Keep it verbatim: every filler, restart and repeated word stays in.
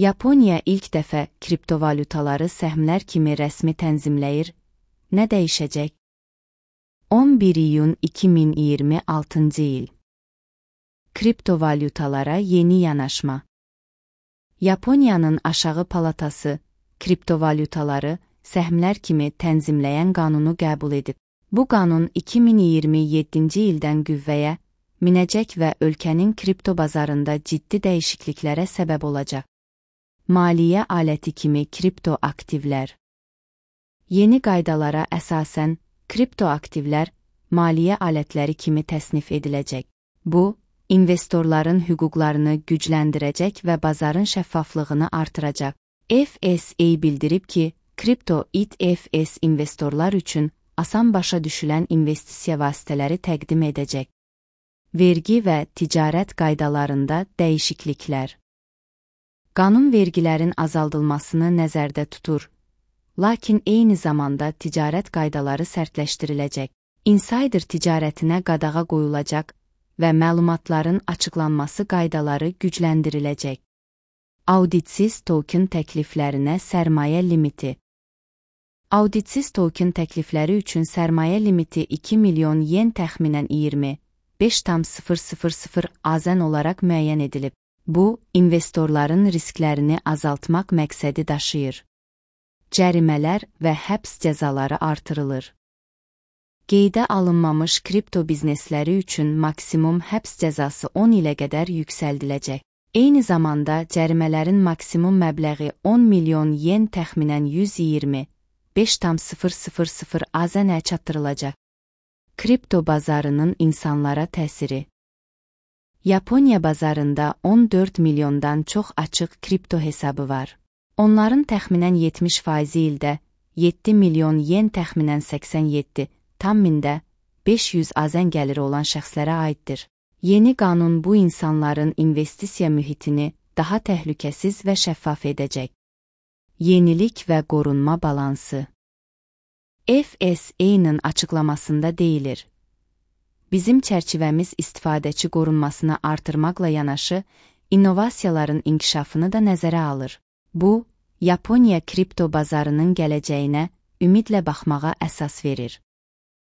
Yaponiya ilk dəfə kriptovalyutaları səhmlər kimi rəsmi tənzimləyir. Nə dəyişəcək? on bir iyun iki min iyirmi altıncı il. Kriptovalyutalara yeni yanaşma. Yaponiyanın aşağı palatası kriptovalyutaları səhmlər kimi tənzimləyən qanunu qəbul edib. Bu qanun iki min iyirmi yeddinci ildən qüvvəyə minəcək və ölkənin kripto bazarında ciddi dəyişikliklərə səbəb olacaq. Maliyyə aləti kimi kripto aktivlər. Yeni qaydalara əsasən, kripto aktivlər maliyyə alətləri kimi təsnif ediləcək. Bu, investorların hüquqlarını gücləndirəcək və bazarın şəffaflığını artıracaq. F S A bildirib ki, kripto E T F investorlar üçün asan başa düşülən investisiya vasitələri təqdim edəcək. Vergi və ticarət qaydalarında dəyişikliklər. Qanun vergilərin azaldılmasını nəzərdə tutur, lakin eyni zamanda ticarət qaydaları sərtləşdiriləcək. Insider ticarətinə qadağa qoyulacaq və məlumatların açıqlanması qaydaları gücləndiriləcək. Auditsiz token təkliflərinə sərmayə limiti. Auditsiz token təklifləri üçün sərmayə limiti iki milyon yen təxminən iyirmi beş tam sıfır sıfır sıfır azən olaraq müəyyən edilib. Bu, investorların risklərini azaltmaq məqsədi daşıyır. Cərimələr və həbs cəzaları artırılır. Qeydə alınmamış kripto biznesləri üçün maksimum həbs cəzası on ilə qədər yüksəldiləcək. Eyni zamanda cərimələrin maksimum məbləği on milyon yen təxminən yüz iyirmi beş tam sıfır sıfır sıfır azənə çatdırılacaq. Kripto bazarının insanlara təsiri. Yaponiya bazarında on dörd milyondan çox açıq kripto hesabı var. Onların təxminən yetmiş faizi ildə yeddi milyon yen təxminən səksən yeddi tam mində beş yüz azən gəliri olan şəxslərə aiddir. Yeni qanun bu insanların investisiya mühitini daha təhlükəsiz və şəffaf edəcək. Yenilik və qorunma balansı. F S A-nın açıqlamasında deyilir. Bizim çərçivəmiz istifadəçi qorunmasını artırmaqla yanaşı, innovasiyaların inkişafını da nəzərə alır. Bu, Yaponiya kripto bazarının gələcəyinə ümidlə baxmağa əsas verir.